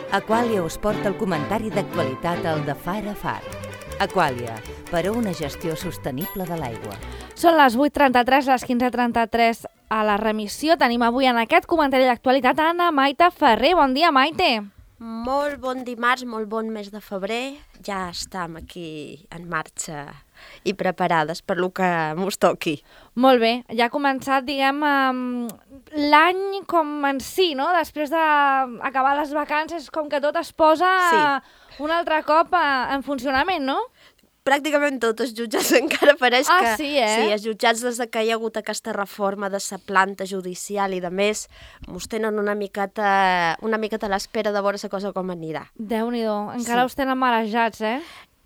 Aquàlia us porta el comentari d'actualitat al de Far a Far. Aquàlia, per a una gestió sostenible de l'aigua. Són les 8:33, les 15:33 a la remissió. Tenim avui en aquest comentari d'actualitat Anna Maite Ferrer. Bon dia, Maite. Molt bon dimarts, molt bon mes de febrer. Ja estem aquí en marxa i preparades per lo que mos toqui. Molt bé, ja ha començat, diguem, l'any com en si, no? Després d'acabar les vacances, com que tot es posa un altre cop en funcionament, no? Pràcticament tots els jutjats encara pareix que... Sí, eh? Sí, els jutjats des que hi ha hagut aquesta reforma de la planta judicial i de més, mos tenen una miqueta a l'espera de veure la cosa com anirà. Déu-n'hi-do, encara us tenen marejats, eh?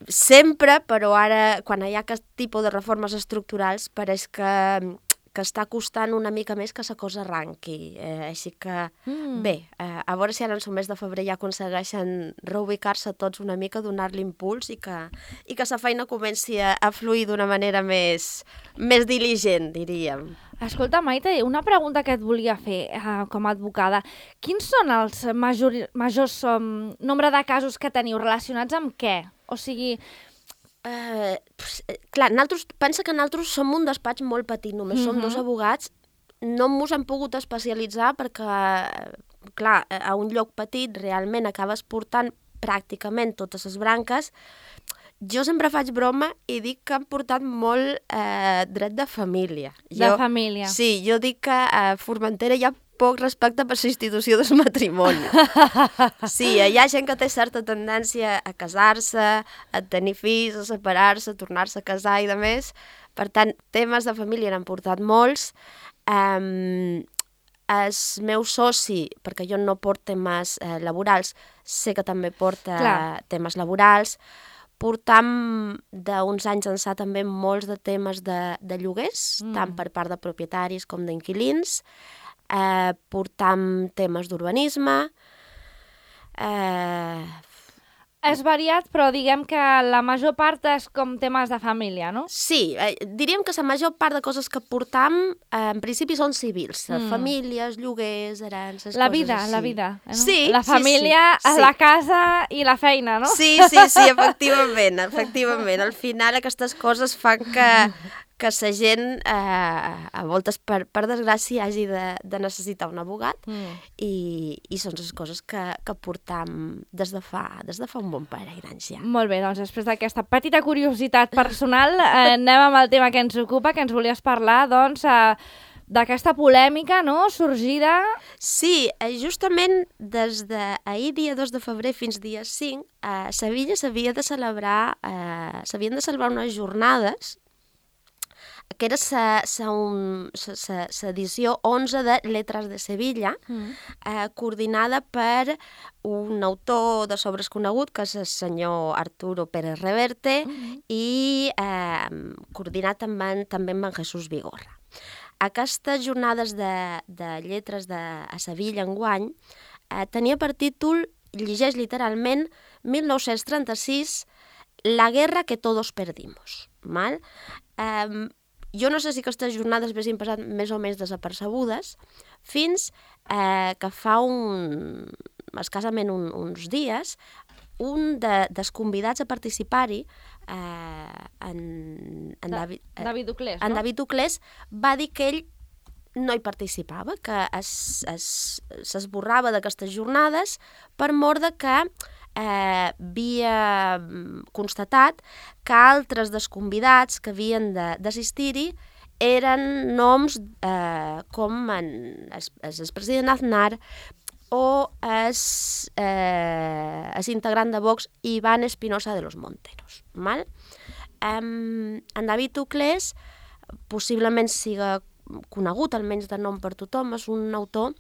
Sempre, però ara, quan hi ha aquest tipus de reformes estructurals, pareix que està costant una mica més que la cosa arranqui. Així que, bé, a veure si ara en el mes de febrer ja aconsegueixen reubicar-se tots una mica, donar-li impuls i que la feina comenci a fluir d'una manera més diligent, diríem. Escolta, Maite, una pregunta que et volia fer com a advocada. Quins són els majors nombre de casos que teniu relacionats amb què? O sigui... Clar, pensa que nosaltres som un despatx molt petit, només som dos advogats, no mos hem pogut especialitzar perquè, clar, a un lloc petit realment acabes portant pràcticament totes les branques. Jo sempre faig broma i dic que hem portat molt dret de família. De família. Sí, jo dic que a Formentera hi ha poc respecte per la institució del matrimoni. Sí, hi ha gent que té certa tendència a casar-se, a tenir fills, a separar-se, a tornar-se a casar i de més. Per tant, temes de família n'han portat molts. El meu soci, perquè jo no porto temes laborals, sé que també porta temes laborals. Portam d'uns anys ençà també molts de temes de lloguers, tant per part de propietaris com d'inquilins. Portam temes d'urbanisme. És variat, però diguem que la major part és com temes de família, no? Sí, diríem que la major part de coses que portam en principi són civils. Famílies, lloguers, herències, la coses vida, així. La vida. No? Sí, la família, la casa i la feina, no? Sí, efectivament. Al final aquestes coses fan que la gent, a voltes, per desgràcia, hagi de necessitar un abogat i són les coses que portam des de fa un bon parell d'anys ja. Molt bé, doncs després d'aquesta petita curiositat personal anem amb el tema que ens ocupa, que ens volies parlar, doncs, d'aquesta polèmica, no?, sorgida... Sí, justament des d'ahir, dia 2 de febrer, fins dia 5, a Sevilla s'havien de celebrar unes jornades que era l'edició 11 de Letras de Sevilla, coordinada per un autor de sobres conegut, que és el senyor Arturo Pérez Reverte, i coordinat també amb en Jesús Vigorra. Aquestes jornades de lletres a Sevilla enguany tenia per títol, llegeix literalment, 1936, La guerra que todos perdimos. Val? Jo no sé si aquestes jornades haguessin passat més o menys desapercebudes, fins que fa escassament uns dies, un dels convidats a participar-hi, David Uclés, no? En David Uclés, va dir que ell no hi participava, que s'esborrava d'aquestes jornades per mor de que havia constatat que altres dels convidats que havien d'assistir-hi eren noms com el president Aznar o el integrant de Vox Iván Espinosa de los Monteros. Val? En David Uclés possiblement siga conegut, almenys de nom per tothom, és un autor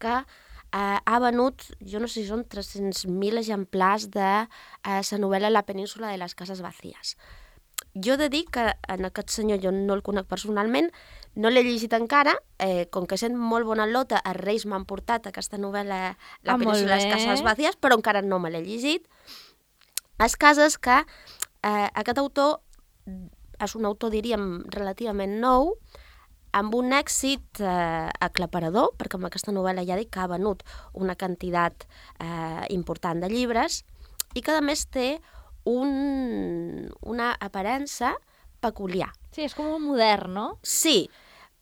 que ha venut, jo no sé si són 300.000 exemplars de la novel·la La península de les cases vacíes. Jo he de dir que en aquest senyor jo no el conec personalment, no l'he llegit encara, com que sent molt bona lota, els Reis m'han portat aquesta novel·la La península de les cases vacíes, però encara no me l'he llegit. El cas és que aquest autor és un autor, diríem, relativament nou, amb un èxit aclaparador, perquè amb aquesta novel·la ja dic que ha venut una quantitat important de llibres i que a més té una aparença peculiar. Sí, és com un modern, no? Sí.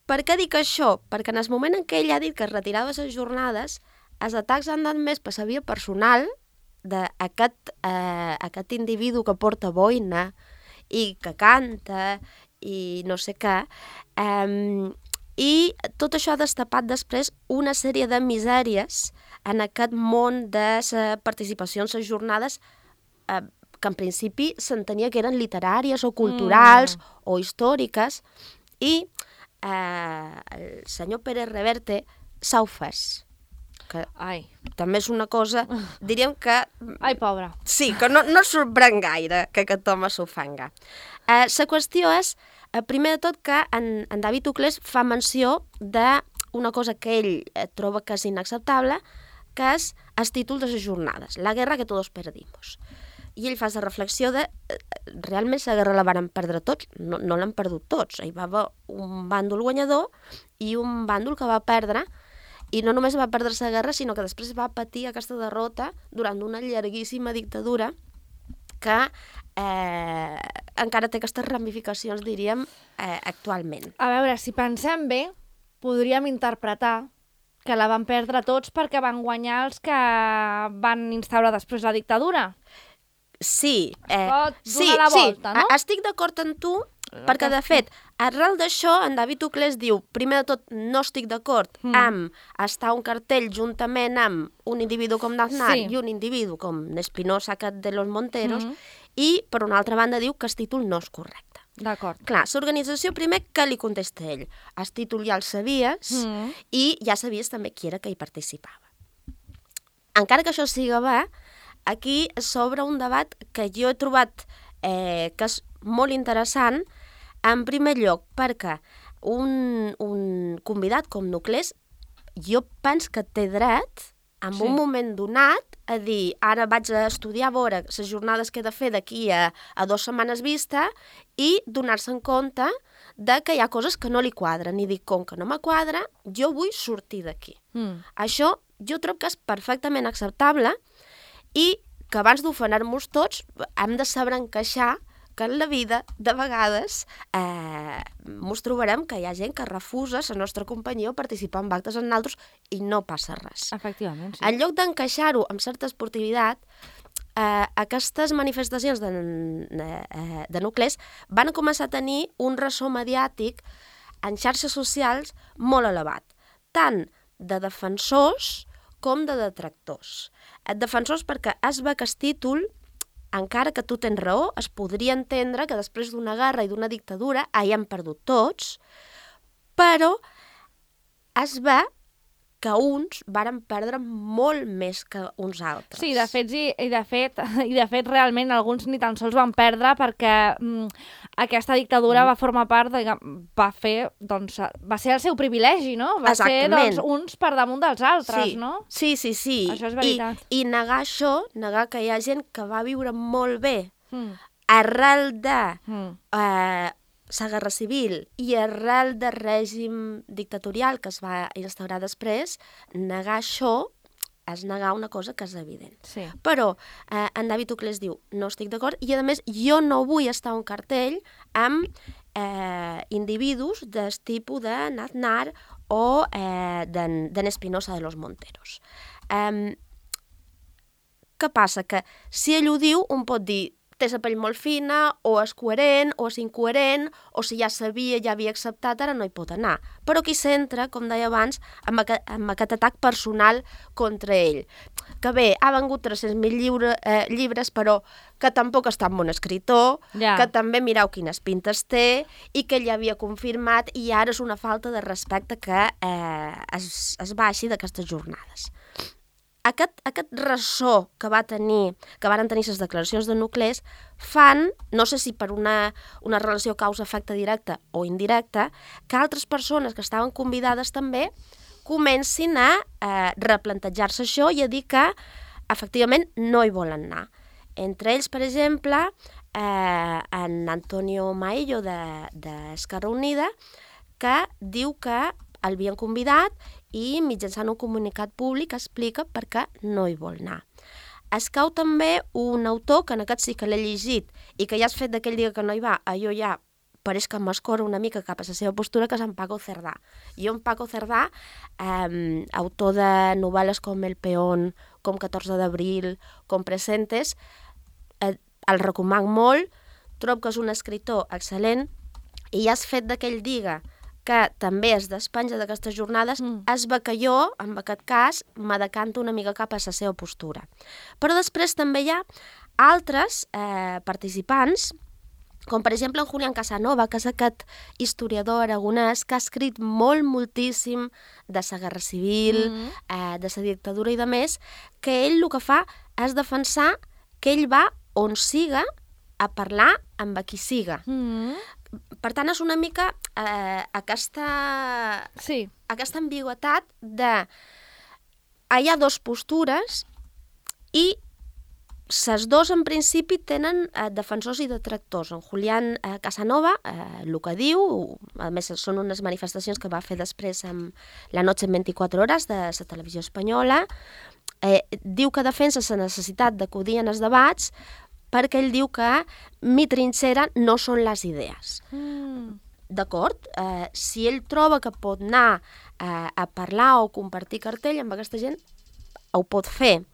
Per què dic això? Perquè en el moment en què ell ha dit que es retirava de les jornades, els atacs han anat més per la via personal d'aquest individu que porta boina i que canta i no sé què, i tot això ha destapat després una sèrie de misèries en aquest món de la participació en les jornades que en principi s'entenia que eren literàries o culturals o històriques, i el senyor Pérez Reverte s'ha ofès. Que també és una cosa, diríem que... Ai, pobra. Sí, que no sorprèn gaire que aquest home s'ofenga. La qüestió és, primer de tot, que en David Uclés fa menció d'una cosa que ell troba que és inacceptable, que és el títol de les jornades, La guerra que todos perdimos. I ell fa la reflexió de realment la guerra la varen perdre tots, no l'han perdut tots. Hi va haver un bàndol guanyador i un bàndol que va perdre, i no només va perdre la guerra, sinó que després va patir aquesta derrota durant una llarguíssima dictadura que encara té aquestes ramificacions, diríem, actualment. A veure, si pensem bé, podríem interpretar que la van perdre tots perquè van guanyar els que van instaurar després la dictadura. Sí, Pot donar la volta, no? Estic d'acord amb tu, perquè de fet, arrel d'això, en David Uclés diu, primer de tot, no estic d'acord amb estar un cartell juntament amb un individu com Aznar i un individu com Espinosa de los Monteros, i per una altra banda diu que el títol no és correcte. D'acord. Clar, l'organització primer, què li contesta ell? El títol ja el sabies i ja sabies també qui era que hi participava. Encara que això siga bé, aquí s'obre un debat que jo he trobat que és molt interessant, en primer lloc perquè un convidat com Uclés jo penso que té dret en un moment donat a dir ara vaig a estudiar a veure les jornades que he de fer d'aquí a 2 setmanes vista i donar-se en compte de que hi ha coses que no li quadren i dir com que no me quadra, jo vull sortir d'aquí. Això jo trobo que és perfectament acceptable i que abans d'ofenar-nos tots hem de saber encaixar que en la vida, de vegades, ens trobarem que hi ha gent que refusa la nostra companyia o participar en actes en altres i no passa res. Efectivament, sí. En lloc d'encaixar-ho amb certa esportivitat, aquestes manifestacions de Uclés van començar a tenir un ressò mediàtic en xarxes socials molt elevat, tant de defensors com de detractors. Defensors perquè es ve que el títol, encara que tu tens raó, es podria entendre que després d'una guerra i d'una dictadura hàgim perdut tots, però es ve que uns varen perdre molt més que uns altres. Sí, de fet, realment alguns ni tan sols van perdre perquè aquesta dictadura va formar part, va ser el seu privilegi, no? Va Exactament. ser uns per damunt dels altres, no? Sí. Això és veritat. I negar això, negar que hi ha gent que va viure molt bé arrel de la guerra civil i arrel del règim dictatorial que es va instaurar després, negar això és negar una cosa que és evident. Sí. Però en David Uclés diu, no estic d'acord, i a més jo no vull estar a un cartell amb individus del tipus de Aznar o d'en Espinosa de los Monteros. Què passa? Que si ell ho diu, un pot dir té la pell molt fina, o és coherent, o és incoherent, o si ja sabia, ja havia acceptat, ara no hi pot anar. Però aquí s'entra, com deia abans, amb aquest atac personal contra ell. Que bé, ha vengut 300.000 llibres, però que tampoc està un bon escriptor, que també mireu quines pintes té, i que ell ja havia confirmat, i ara és una falta de respecte que es baixi d'aquestes jornades. Aquest ressò que varen tenir les declaracions de Uclés fan, no sé si per una relació causa-efecte directa o indirecta, que altres persones que estaven convidades també comencin a replantejar-se això i a dir que efectivament no hi volen anar. Entre ells, per exemple, en Antonio Maello d'Esquerra Unida, que diu que el havien convidat i mitjançant un comunicat públic explica per què no hi vol anar. Es cau també un autor, que en aquest sí que l'he llegit, i que ja has fet d'aquell dia que no hi va, jo ja pareix que m'escora una mica cap a la seva postura, que és en Paco Cerdà. I en Paco Cerdà, autor de novel·les com El Peón, com 14 d'abril, com Presentes, el recomano molt, trobo que és un escritor excel·lent, i ja has fet d'aquell dia que també es despenja d'aquestes jornades, es ve que jo, en aquest cas, me decanto una mica cap a la seva postura. Però després també hi ha altres participants, com per exemple en Julián Casanova, que és aquest historiador aragonès que ha escrit moltíssim de la guerra civil, de la dictadura i de més, que ell el que fa és defensar que ell va on siga a parlar amb qui siga. Per tant, és una mica aquesta ambigüitat de hi ha dues postures i les dues, en principi, tenen defensors i detractors. En Julián Casanova, el que diu, a més, són unes manifestacions que va fer després amb La noche en 24 hores de la televisió espanyola, diu que defensa la necessitat d'acudir en els debats perquè ell diu que mi trinxera no són les idees. D'acord? Si ell troba que pot anar a parlar o compartir cartell amb aquesta gent, ho pot fer.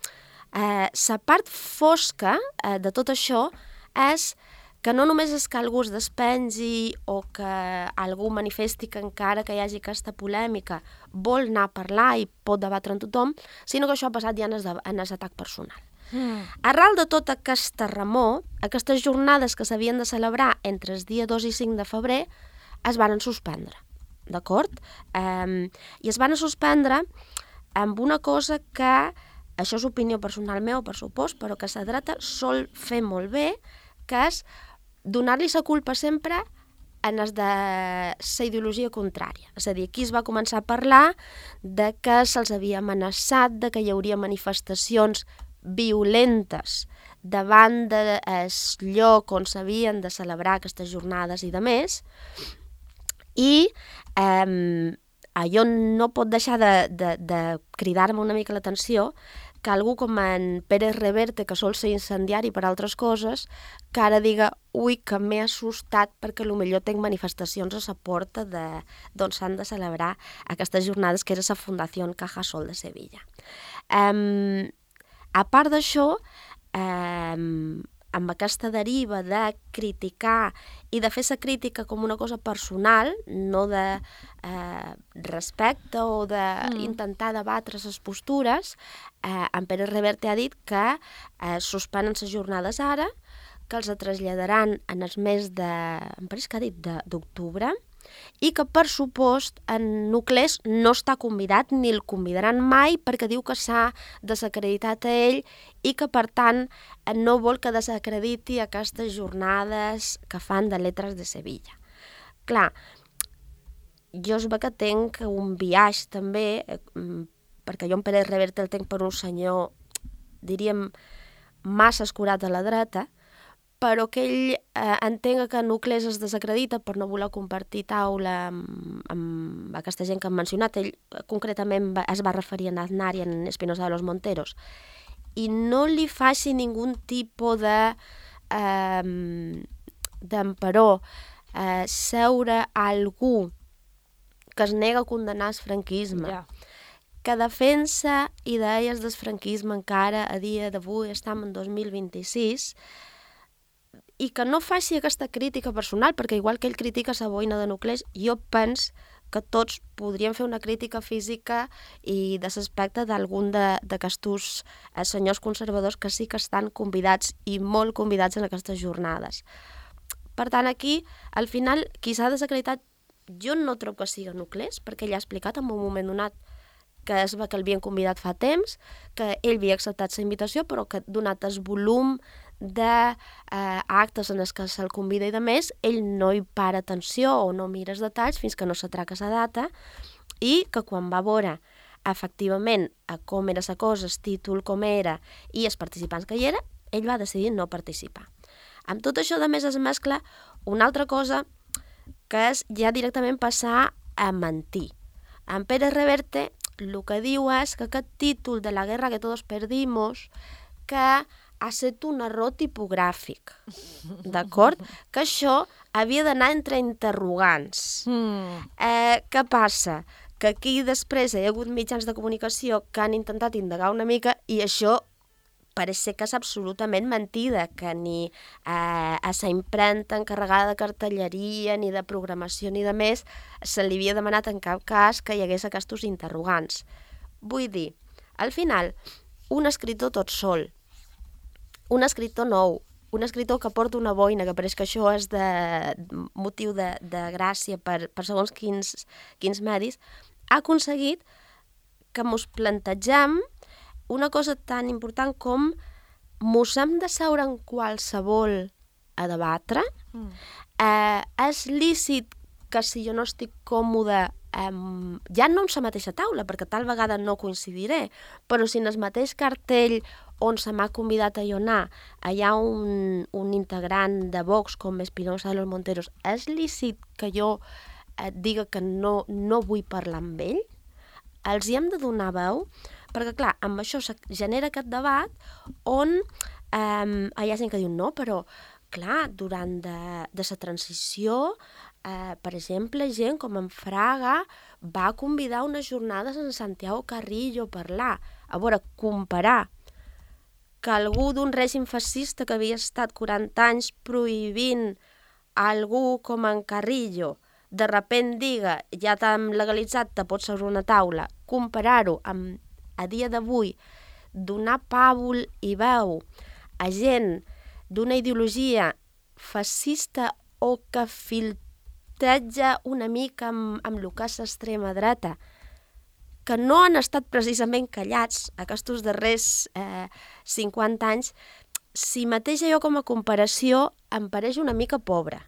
La part fosca de tot això és que no només és que algú es despengi o que algú manifesti que encara que hi hagi aquesta polèmica vol anar a parlar i pot debatre amb tothom, sinó que això ha passat ja en l'atac personal. Arrel de tota aquesta remor, aquestes jornades que s'havien de celebrar entre el dia 2 i 5 de febrer es van suspendre, d'acord? I es van suspendre amb una cosa que, això és opinió personal meva, per supòs, però que la dreta sol fer molt bé, que és donar-li la culpa sempre en els de la ideologia contrària. És a dir, aquí es va començar a parlar de que se'ls havia amenaçat, de que hi hauria manifestacions violentes davant del lloc on s'havien de celebrar aquestes jornades i de més, i allò no pot deixar de cridar-me una mica l'atenció que algú com en Pérez Reverte, que sol ser incendiari per altres coses, que ara diga, ui, que m'he assustat perquè potser tinc manifestacions a la porta d'on s'han de celebrar aquestes jornades, que era la Fundació Cajasol de Sevilla. A part d'això, amb aquesta deriva de criticar i de fer la crítica com una cosa personal, no de respecte o d'intentar debatre les postures, en Pérez Reverte ha dit que suspenen les jornades ara, que els traslladaran en el mes em pareix que ha dit d'octubre, i que, per supost, en Nuclés no està convidat ni el convidaran mai perquè diu que s'ha desacreditat a ell i que, per tant, no vol que desacrediti aquestes jornades que fan de Letras de Sevilla. Clar, jo es ve que tenc un biaix també, perquè jo en Pérez Reverte el tenc per un senyor, diríem, massa escurat a la dreta, però que ell entenga que Nuclés es desacredita per no voler compartir taula amb aquesta gent que hem mencionat. Ell concretament es va referir a Aznar i a Espinosa de los Monteros. I no li faci ningú tipus d'emperó seure a algú que es nega a condenar el franquisme, que defensa idees del franquisme encara a dia d'avui, estem en 2026, i que no faci aquesta crítica personal, perquè igual que ell critica la boina de Nuclés, jo penso que tots podríem fer una crítica física i de l'aspecte d'algun d'aquests senyors conservadors que sí que estan convidats i molt convidats en aquestes jornades. Per tant, aquí, al final, qui s'ha desacreditat, jo no trobo que sigui Nuclés, perquè ell ha explicat en un moment donat que es va que l'havien convidat fa temps, que ell havia acceptat la invitació, però que donat el volum d'actes en els que se'l convida i de més, ell no hi para atenció o no mira els detalls fins que no s'atraca la data, i que quan va veure efectivament com era la cosa, el títol com era i els participants que hi era, ell va decidir no participar. Amb tot això, de més, es mescla una altra cosa que és ja directament passar a mentir. En Pérez Reverte el que diu és que aquest títol de la guerra que todos perdimos, que ha estat un error tipogràfic, d'acord? Que això havia d'anar entre interrogants. Què passa? Que aquí després hi ha hagut mitjans de comunicació que han intentat indagar una mica i això pareix ser que és absolutament mentida, que ni a la impremta encarregada de cartelleria, ni de programació, ni de més, se li havia demanat en cap cas que hi hagués aquests interrogants. Vull dir, al final, un escriptor tot sol, un escriptor nou, un escriptor que porta una boina, que pareix que això és de motiu de gràcia per segons quins medis, ha aconseguit que mos plantegem una cosa tan important com mos hem de seure en qualsevol a debatre. És lícit que si jo no estic còmode, ja no en la mateixa taula, perquè tal vegada no coincidiré, però si en el mateix cartell on se m'ha convidat a jo anar hi ha un integrant de Vox com Espinosa de los Monteros, és lícit que jo diga que no vull parlar amb ell? Els hi hem de donar veu? Perquè, clar, amb això genera aquest debat on hi ha gent que diu no, però, clar, durant de la transició, per exemple, gent com en Fraga va convidar unes jornades en Santiago Carrillo a parlar. A veure, comparar que algú d'un règim fascista que havia estat 40 anys prohibint algú com en Carrillo de repent diga ja t'hem legalitzat, te pots seure una taula, comparar-ho amb a dia d'avui, donar pàbul i veu a gent d'una ideologia fascista o que filtreja una mica amb el que és l'extrema dreta, que no han estat precisament callats aquests darrers 50 anys, si mateix jo com a comparació em pareix una mica pobra,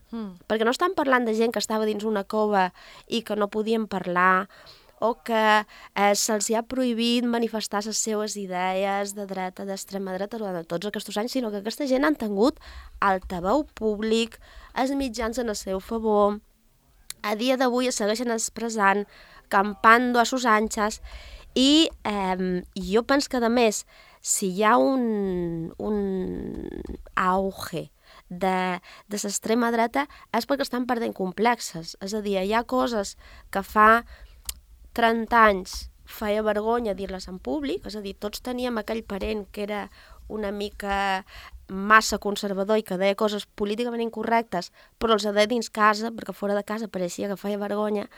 perquè no estan parlant de gent que estava dins una cova i que no podien parlar, o que se'ls ha prohibit manifestar les seues idees de dreta, d'extrema dreta durant tots aquests anys, sinó que aquesta gent han tingut altaveu públic, els mitjans en el seu favor, a dia d'avui es segueixen expressant, campando a sus anchas, i jo penso que, a més, si hi ha un auge de l'extrema dreta és perquè estan perdent complexes, és a dir, hi ha coses que fa 30 anys feia vergonya dir-les en públic, és a dir, tots teníem aquell parent que era una mica massa conservador i que deia coses políticament incorrectes, però els deia dins casa, perquè fora de casa pareixia que feia vergonya,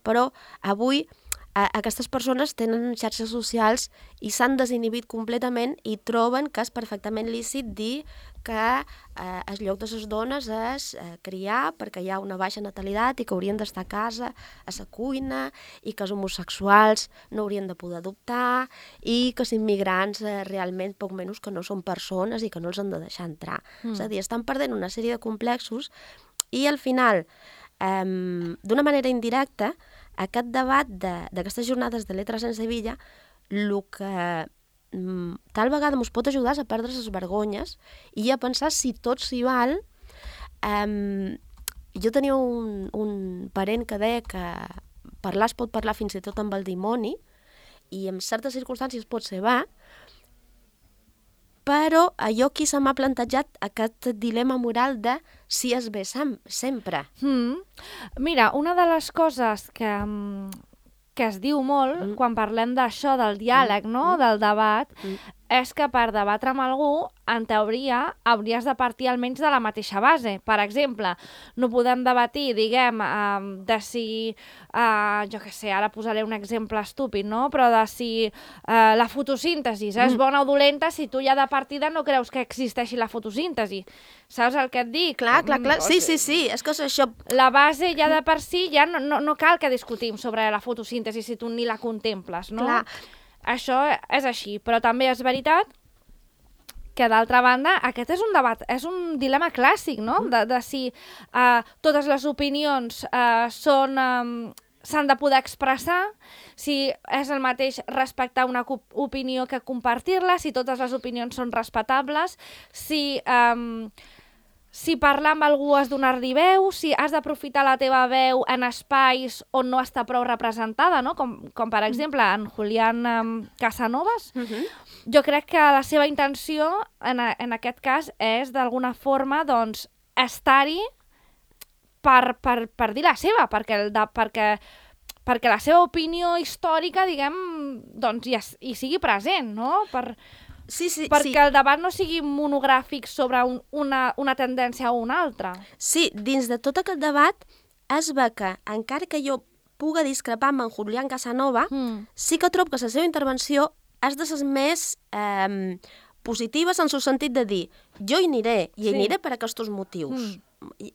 però avui aquestes persones tenen xarxes socials i s'han desinhibit completament i troben que és perfectament lícit dir que el lloc de les dones és criar perquè hi ha una baixa natalitat i que haurien d'estar a casa, a la cuina, i que els homosexuals no haurien de poder adoptar i que els immigrants realment poc menys que no són persones i que no els han de deixar entrar. És a dir, estan perdent una sèrie de complexos i al final, d'una manera indirecta, aquest debat d'aquestes jornades de Letras en Sevilla, el que tal vegada ens pot ajudar a perdre les vergonyes i a pensar si tot s'hi val. Jo tenia un parent que deia que parlar es pot parlar fins i tot amb el dimoni i en certes circumstàncies pot ser va, però allò qui se m'ha plantejat aquest dilema moral de si és bé sempre. Mira, una de les coses que es diu molt quan parlem d'això, del diàleg, no? Del debat, és que per debatre amb algú, en teoria, hauries de partir almenys de la mateixa base. Per exemple, no podem debatir, diguem, de si, jo què sé, ara posaré un exemple estúpid, no? Però de si la fotosíntesi és bona o dolenta si tu ja de partida no creus que existeixi la fotosíntesi. Saps el que et dic? Clar. Sí, és que això... La base ja de per si ja no cal que discutim sobre la fotosíntesi si tu ni la contemples, no? Clar. Això és així, però també és veritat que, d'altra banda, aquest és un debat, és un dilema clàssic, no? De si totes les opinions s'han de poder expressar, si és el mateix respectar una opinió que compartir-la, si totes les opinions són respectables, si si parlar amb algú has donar-li veu, si has d'aprofitar la teva veu en espais on no està prou representada, no? Com per exemple en Julián Casanovas. Jo crec que la seva intenció en aquest cas és d'alguna forma doncs, estar-hi per dir la seva, perquè la seva opinió històrica, diguem, doncs, hi sigui present, no? Perquè el debat no sigui monogràfic sobre una tendència o una altra. Sí, dins de tot aquest debat es ve que, encara que jo puga discrepar amb en Julián Casanova, sí que trobo que la seva intervenció és de les més positives en el sentit de dir jo hi aniré, i hi aniré per aquests motius.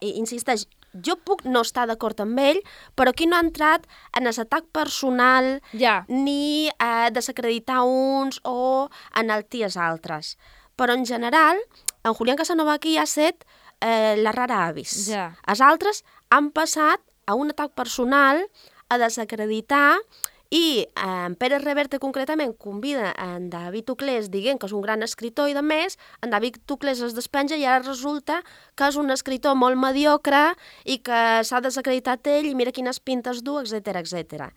Insisteix, jo puc no estar d'acord amb ell, però aquí no ha entrat en l'atac personal ni a desacreditar uns o enaltir els altres. Però en general, en Julián Casanova aquí ha set la rara avis. Els altres han passat a un atac personal, a desacreditar, i en Pérez Reverte concretament convida en David Uclés dient que és un gran escriptor i de més, en David Uclés es despenja i ara resulta que és un escriptor molt mediocre i que s'ha desacreditat ell i mira quines pintes du, etc.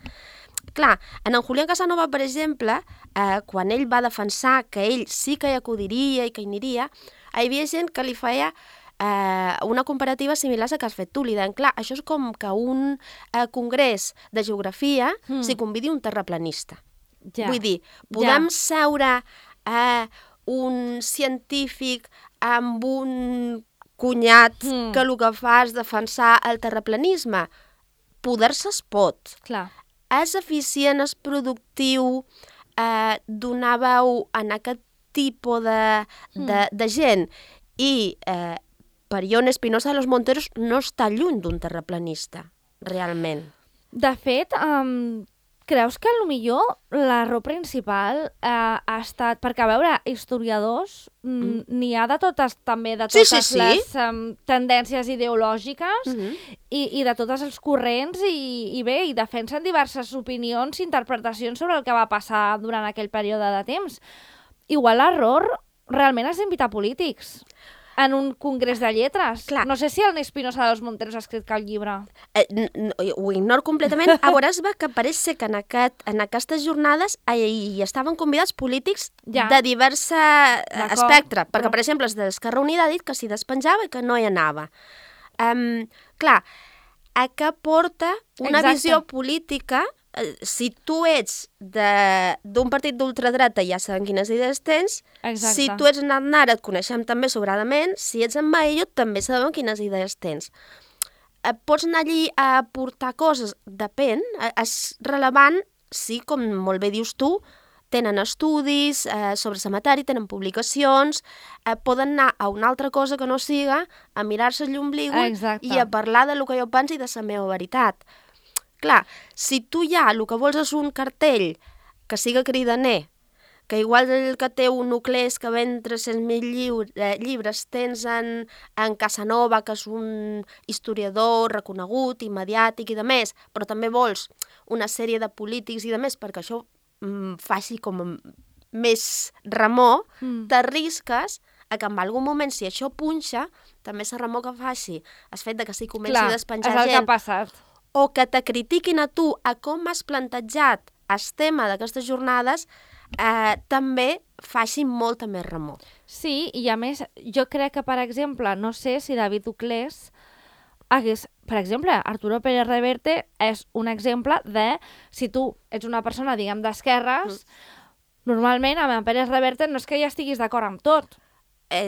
Clar, en Julián Casanova, per exemple, quan ell va defensar que ell sí que hi acudiria i que hi aniria, hi havia gent que li feia una comparativa similar a que has fet tu, li deien, clar, això és com que un congrés de geografia s'hi convidi un terraplanista. Vull dir, podem seure un científic amb un cunyat que el que fa és defensar el terraplanisme? Poder-se es pot. És eficient, és productiu, donar veu en aquest tipus de gent i per Ion Espinosa de los Monteros no està lluny d'un terraplanista, realment. De fet, creus que potser l'error principal ha estat... Perquè, a veure, historiadors n'hi ha de totes, també, de totes les tendències ideològiques i de tots els corrents i bé, i defensen diverses opinions i interpretacions sobre el que va passar durant aquell període de temps. Igual l'error realment és invitar polítics en un congrés de lletres. No sé si el Espinosa de los Monteros ha escrit cap llibre. Ho ignoro completament. A veure, es va que pareix ser que en aquestes jornades hi estaven convidats polítics de divers espectre, perquè, per exemple, els d'Esquerra Unida ha dit que s'hi despenjava i que no hi anava. Clar, a què porta una visió política? Si tu ets d'un partit d'ultradreta ja sabem quines idees tens, si tu ets en Aznar et coneixem també sobradament, si ets en Baello també sabem quines idees tens. Pots anar allí a aportar coses? Depèn, és rellevant, sí, com molt bé dius tu, tenen estudis sobre la matèria, tenen publicacions, poden anar a una altra cosa que no siga, a mirar-se l'ombligo i a parlar del que jo penso i de la meva veritat. Clar, si tu ja el que vols és un cartell que siga cridaner, que igual el que té un Uclés que ven 300.000 llibres tens en Casanova, que és un historiador reconegut i mediàtic i de més, però també vols una sèrie de polítics i de més perquè això faci com més remor, t'arrisques a que en algun moment, si això punxa, també la remor que faci el fet que s'hi comenci a despenjar gent. És el que ha passat. O que te critiquin a tu a com has plantejat el tema d'aquestes jornades, també faci molta més remor. Sí, i a més, jo crec que, per exemple, no sé si David Uclés hagués... Per exemple, Arturo Pérez Reverte és un exemple de, si tu ets una persona, diguem, d'esquerres, normalment amb en Pérez Reverte no és que ja estiguis d'acord amb tot.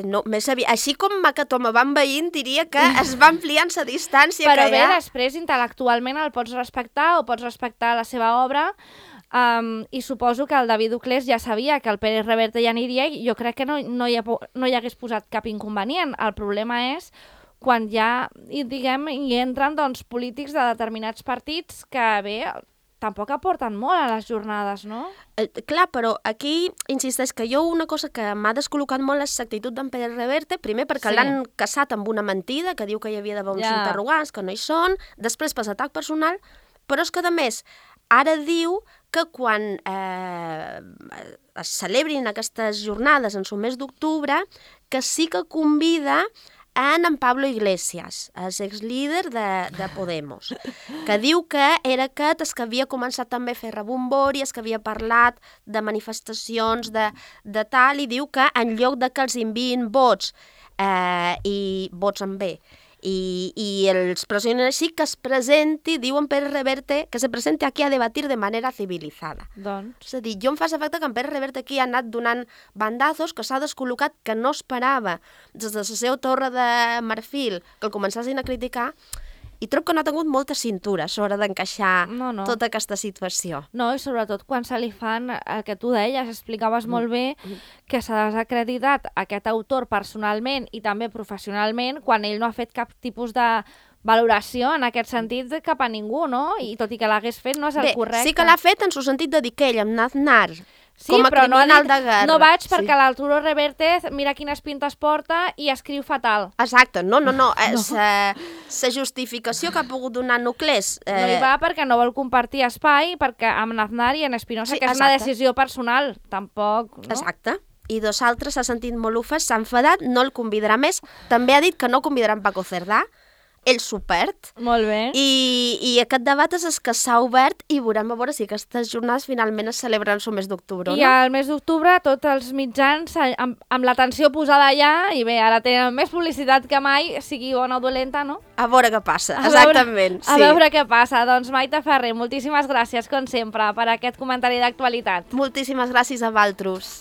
No, més aviat. Així com Macatoma va envaint, diria que es va ampliant la distància però que hi ha. Però bé, després, intel·lectualment el pots respectar o pots respectar la seva obra i suposo que el David Uclés ja sabia que el Pérez Reverte ja aniria i jo crec que no hi hagués posat cap inconvenient. El problema és quan ja, diguem, hi entren doncs, polítics de determinats partits que, bé, tampoc aporten molt a les jornades, no? Clar, però aquí insisteix que jo una cosa que m'ha descol·locat molt és l'actitud d'en Pérez Reverte, primer perquè l'han casat amb una mentida, que diu que hi havia d'haver uns interrogants, que no hi són, després per atac personal, però és que, a més, ara diu que quan es celebrin aquestes jornades en el mes d'octubre, que sí que convida en Pablo Iglesias, el exlíder de Podemos, que diu que era aquest el que havia començat també a fer rebombori, el que havia parlat de manifestacions de tal, i diu que en lloc de que els enviïn vots, i vots amb B, i els pressionen així, que es presenti, diuen Pérez Reverte, que se presenti aquí a debatir de manera civilizada. Doncs. És a dir, jo em fa l'efecte que en Pérez Reverte aquí ha anat donant bandazos, que s'ha descol·locat, que no esperava des de la seva torre de marfil que el començassin a criticar, i trobo que no ha tingut molta cintura a l'hora d'encaixar tota aquesta situació. No, i sobretot quan se li fan el que tu deies, explicaves molt bé que s'ha desacreditat aquest autor personalment i també professionalment quan ell no ha fet cap tipus de valoració en aquest sentit cap a ningú, no? I tot i que l'hagués fet no és el correcte. Sí que l'ha fet en el sentit de dir que ell, amb Aznar, com a criminal de guerra... No vaig perquè l'Arturo Reverte mira quines pintes porta i escriu fatal. Exacte, no. La justificació que ha pogut donar Nuclés... No hi va perquè no vol compartir espai perquè amb Aznar i en Espinosa, que és una decisió personal, tampoc... No? Exacte. I dos altres s'ha sentit molt ofès, s'ha enfadat, no el convidarà més. També ha dit que no convidarà en Paco Cerdà, ell s'ho perd. Molt bé. I aquest debat és el que s'ha obert i veurem a veure si aquestes jornades finalment es celebren el mes d'octubre, no? I al mes d'octubre tots els mitjans amb l'atenció posada allà i bé, ara tenen més publicitat que mai, sigui bona o dolenta, no? A veure què passa, exactament. A veure què passa. Doncs Maite Ferrer, moltíssimes gràcies, com sempre, per aquest comentari d'actualitat. Moltíssimes gràcies a vosaltres.